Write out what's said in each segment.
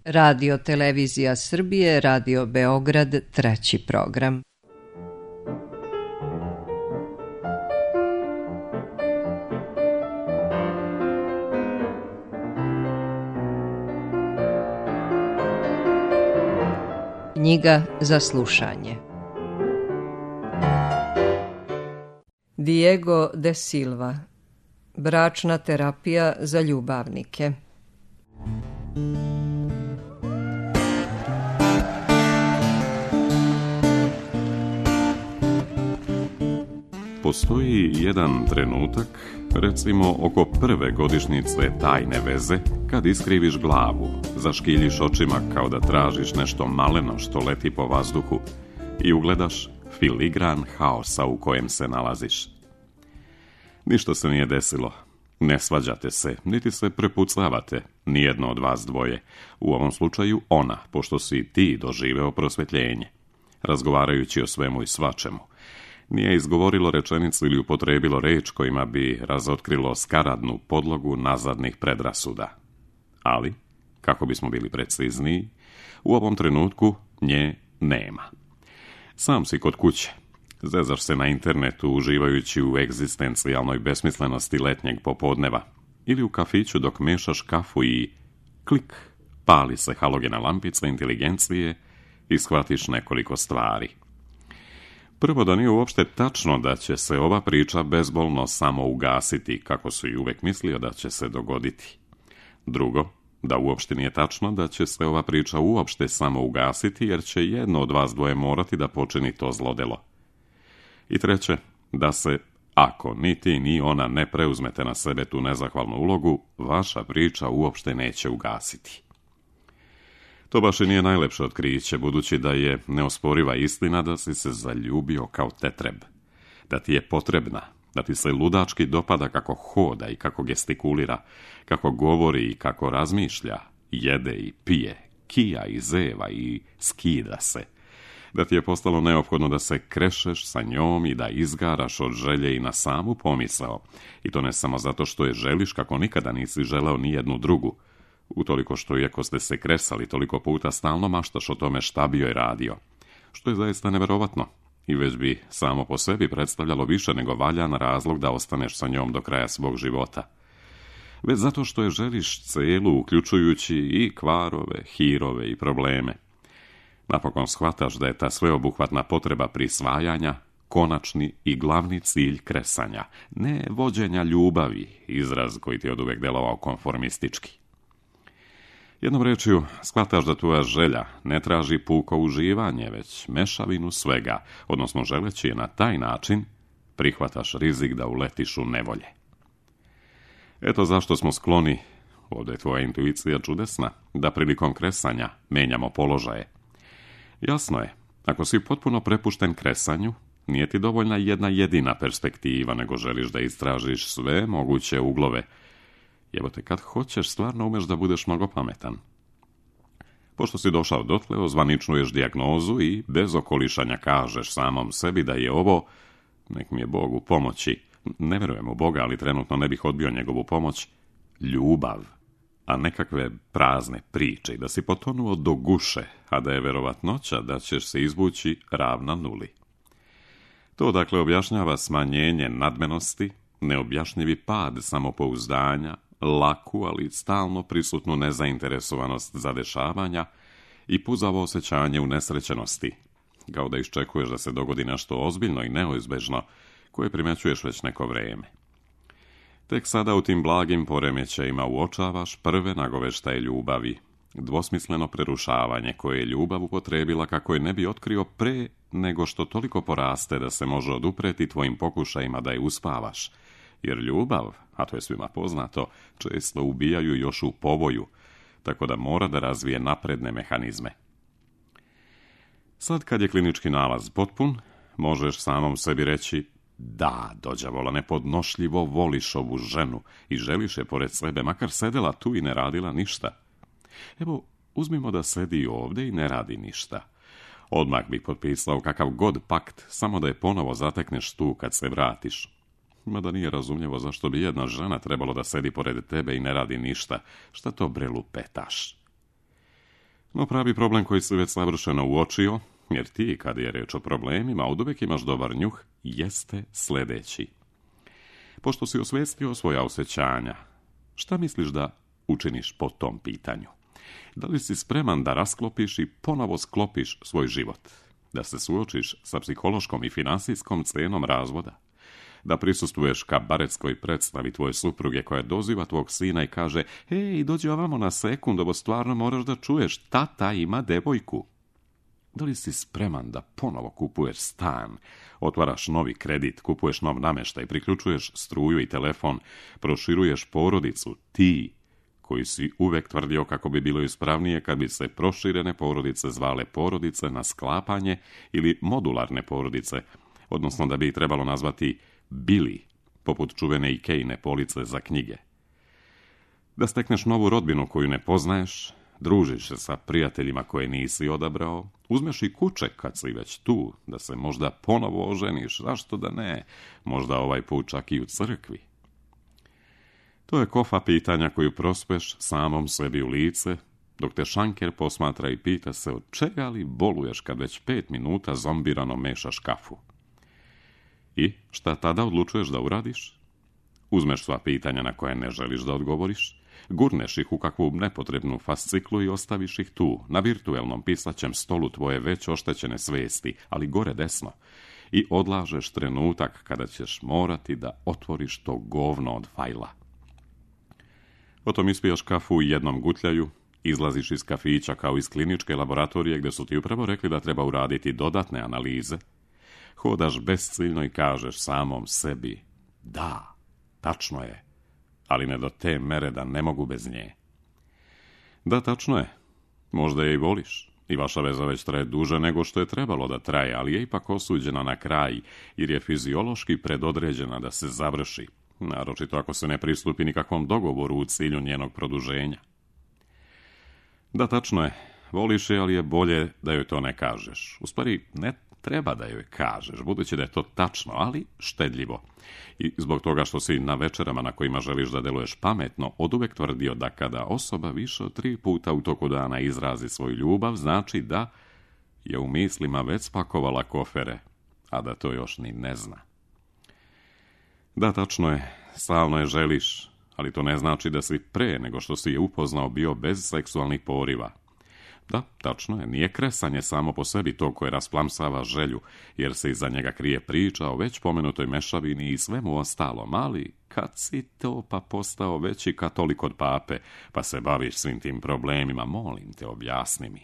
Radio Televizija Srbije, Radio Beograd, treći program. Knjiga za slušanje. Diego de Silva. Bračna terapija za ljubavnike. Postoji jedan trenutak, recimo oko prve godišnjice tajne veze, kad iskriviš glavu, zaškiljiš očima kao da tražiš nešto maleno što leti po vazduhu i ugledaš filigran haosa u kojem se nalaziš. Ništa se nije desilo. Ne svađate se, niti se prepucavate, nijedno od vas dvoje. U ovom slučaju ona, pošto si ti doživeo prosvjetljenje. Razgovarajući o svemu i svačemu. Nije izgovorilo rečenicu ili upotrebilo reč kojima bi razotkrilo skaradnu podlogu nazadnih predrasuda. Ali, kako bismo bili precizniji, u ovom trenutku nje nema. Sam si kod kuće. Zezaš se na internetu uživajući u egzistencijalnoj besmislenosti letnjeg popodneva ili u kafiću dok mešaš kafu i klik, pali se halogena lampica inteligencije i shvatiš nekoliko stvari. Prvo, da nije uopšte tačno da će se ova priča bezbolno samo ugasiti, kako su i uvek mislio da će se dogoditi. Drugo, da uopšte nije tačno da će se ova priča uopšte samo ugasiti, jer će jedno od vas dvoje morati da počini to zlodelo. I treće, da se, ako ni ti ni ona ne preuzmete na sebe tu nezahvalnu ulogu, vaša priča uopšte neće ugasiti. To baš i nije najlepše otkriće, budući da je neosporiva istina da si se zaljubio kao tetreb, da ti je potrebna, da ti se ludački dopada kako hoda i kako gestikulira, kako govori i kako razmišlja, jede i pije, kija i zeva i skida se, da ti je postalo neophodno da se krešeš sa njom i da izgaraš od želje i na samu pomisao, i to ne samo zato što je želiš kako nikada nisi želeo ni jednu drugu, utoliko što iako ste se kresali toliko puta stalno maštaš o tome šta bi joj radio, što je zaista neverovatno i već bi samo po sebi predstavljalo više nego valjan razlog da ostaneš sa njom do kraja svog života. Već zato što je želiš celu, uključujući i kvarove, hirove i probleme. Napokon shvataš da je ta sveobuhvatna potreba prisvajanja konačni i glavni cilj kresanja, ne vođenja ljubavi, izraz koji ti je oduvek delovao konformistički. Jednom rečju, shvataš da tvoja želja ne traži puko uživanje, već mešavinu svega, odnosno želeći je na taj način, prihvataš rizik da uletiš u nevolje. Eto zašto smo skloni, ovdje je tvoja intuicija čudesna, da prilikom kresanja menjamo položaje. Jasno je, ako si potpuno prepušten kresanju, nije ti dovoljna jedna jedina perspektiva, nego želiš da istražiš sve moguće uglove. Jebote, kad hoćeš, stvarno umeš da budeš mnogo pametan. Pošto si došao dotle, ozvaničnuješ dijagnozu i bez okolišanja kažeš samom sebi da je ovo, nek mi je Bog u pomoći, ne verujem u Boga, ali trenutno ne bih odbio njegovu pomoć, ljubav, a nekakve prazne priče i da si potonuo do guše, a da je verovatnoća da ćeš se izvući ravna nuli. To dakle objašnjava smanjenje nadmenosti, neobjašnjivi pad samopouzdanja, laku, ali stalno prisutnu nezainteresovanost za dešavanja i puzavo osjećanje unesrećenosti, kao da iščekuješ da se dogodi nešto ozbiljno i neizbežno, koje primećuješ već neko vrijeme. Tek sada u tim blagim poremećajima uočavaš prve nagoveštaje ljubavi, dvosmisleno prerušavanje koje je ljubav upotrebila kako je ne bi otkrio pre nego što toliko poraste da se može odupreti tvojim pokušajima da je uspavaš, jer ljubav, a to je svima poznato, često ubijaju još u povoju, tako da mora da razvije napredne mehanizme. Sad kad je klinički nalaz potpun, možeš samom sebi reći: da, dođavola, nepodnošljivo voliš ovu ženu i želiš je pored sebe, makar sedela tu i ne radila ništa. Evo, uzmimo da sedi ovdje i ne radi ništa. Odmah bi potpisao kakav god pakt, samo da je ponovo zatekneš tu kad se vratiš. Mada nije razumljivo zašto bi jedna žena trebalo da sedi pored tebe i ne radi ništa. Šta to bre lupetaš? No pravi problem koji si već savršeno uočio, jer ti, kad je reč o problemima, oduvijek imaš dobar njuh, jeste sljedeći. Pošto si osvijestio svoja osjećanja, šta misliš da učiniš po tom pitanju? Da li si spreman da rasklopiš i ponovo sklopiš svoj život? Da se suočiš sa psihološkom i finansijskom cenom razvoda? Da prisustvuješ kabaretskoj predstavi tvoje supruge koja doziva tvog sina i kaže: "Ej, dođi ovamo na sekund, ovo stvarno moraš da čuješ, tata ima devojku." Da li si spreman da ponovo kupuješ stan, otvaraš novi kredit, kupuješ nov namještaj, priključuješ struju i telefon, proširuješ porodicu, ti koji si uvek tvrdio kako bi bilo ispravnije kad bi se proširene porodice zvale porodice na sklapanje ili modularne porodice, odnosno da bi ih trebalo nazvati bili, poput čuvene Ikejine police za knjige. Da stekneš novu rodbinu koju ne poznaješ, družiš se sa prijateljima koje nisi odabrao, uzmeš i kućek kad si već tu, da se možda ponovo oženiš, zašto da ne, možda ovaj put čak i u crkvi. To je kofa pitanja koju prospeš samom sebi u lice, dok te šanker posmatra i pita se od čega li boluješ kad već 5 minuta zombirano mešaš kafu. I šta tada odlučuješ da uradiš? Uzmeš sva pitanja na koje ne želiš da odgovoriš, gurneš ih u kakvu nepotrebnu fasciklu i ostaviš ih tu, na virtuelnom pisaćem stolu tvoje već oštećene svesti, ali gore desno, i odlažeš trenutak kada ćeš morati da otvoriš to govno od fajla. Potom ispijaš kafu u jednom gutljaju, izlaziš iz kafića kao iz kliničke laboratorije gdje su ti upravo rekli da treba uraditi dodatne analize, hodaš besciljno i kažeš samom sebi: da, tačno je, ali ne do te mere da ne mogu bez nje. Da, tačno je, možda je i voliš, i vaša veza već traje duže nego što je trebalo da traje, ali je ipak osuđena na kraj, jer je fiziološki predodređena da se završi, naročito ako se ne pristupi nikakvom dogovoru u cilju njenog produženja. Da, tačno je, voliš je, ali je bolje da joj to ne kažeš. U stvari, ne treba da joj kažeš, budući da je to tačno, ali štedljivo. I zbog toga što si na večerama na kojima želiš da deluješ pametno, oduvek tvrdio da kada osoba više od 3 puta u toku dana izrazi svoju ljubav, znači da je u mislima već spakovala kofere, a da to još ni ne zna. Da, tačno je, stalno je želiš, ali to ne znači da si pre nego što si je upoznao bio bez seksualnih poriva. Da, tačno je, nije kresanje samo po sebi to koje rasplamsava želju, jer se iza njega krije priča o već pomenutoj mešavini i svemu ostalom, ali kad si to pa postao veći katolik od pape, pa se baviš svim tim problemima, molim te, objasni mi.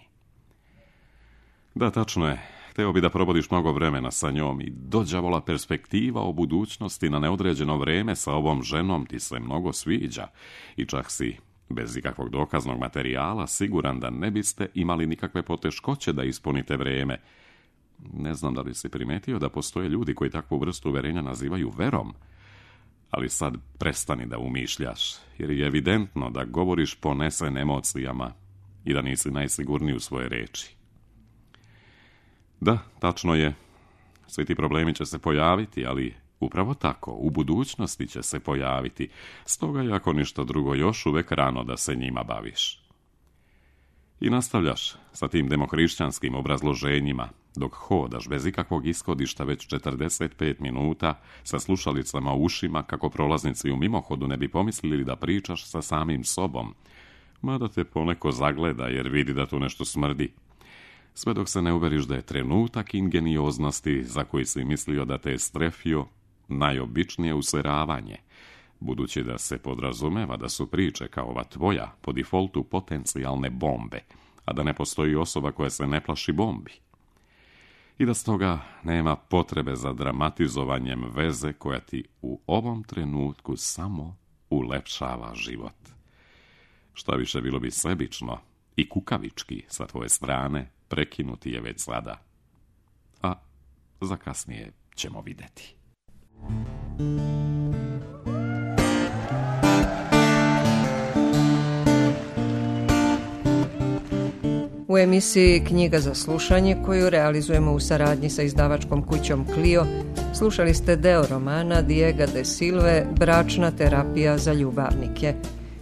Da, tačno je, hteo bi da probodiš mnogo vremena sa njom i dođavola perspektiva o budućnosti na neodređeno vreme sa ovom ženom ti se mnogo sviđa i čak si, bez ikakvog dokaznog materijala, siguran da ne biste imali nikakve poteškoće da ispunite vrijeme. Ne znam da li si primetio da postoje ljudi koji takvu vrstu uverenja nazivaju verom, ali sad prestani da umišljaš, jer je evidentno da govoriš ponesen emocijama i da nisi najsigurniji u svoje reči. Da, tačno je, svi ti problemi će se pojaviti, ali upravo tako, u budućnosti će se pojaviti, stoga je ako ništa drugo još uvek rano da se njima baviš. I nastavljaš sa tim demohrišćanskim obrazloženjima, dok hodaš bez ikakvog ishodišta već 45 minuta sa slušalicama u ušima kako prolaznici u mimohodu ne bi pomislili da pričaš sa samim sobom, mada te poneko zagleda jer vidi da tu nešto smrdi. Sve dok se ne uveriš da je trenutak ingenioznosti za koji si mislio da te je strefio najobičnije useravanje, budući da se podrazumeva da su priče kao ova tvoja po defaultu potencijalne bombe, a da ne postoji osoba koja se ne plaši bombi. I da stoga nema potrebe za dramatizovanjem veze koja ti u ovom trenutku samo ulepšava život. Šta više, bilo bi sebično i kukavički sa tvoje strane prekinuti je već sada. A za kasnije ćemo vidjeti. U emisiji Knjiga za slušanje, koju realizujemo u saradnji sa izdavačkom kućom Clio, slušali ste deo romana Diega de Silve Bračna terapija za ljubavnike.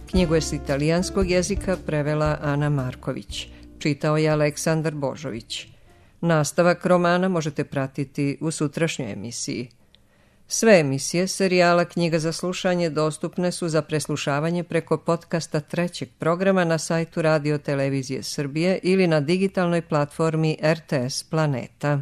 Knjigu je s italijanskog jezika prevela Ana Marković. čitao je Aleksandar Božović. Nastavak romana možete pratiti u sutrašnjoj emisiji. Sve emisije serijala Knjiga za slušanje dostupne su za preslušavanje preko podcasta trećeg programa na sajtu Radio Televizije Srbije ili na digitalnoj platformi RTS Planeta.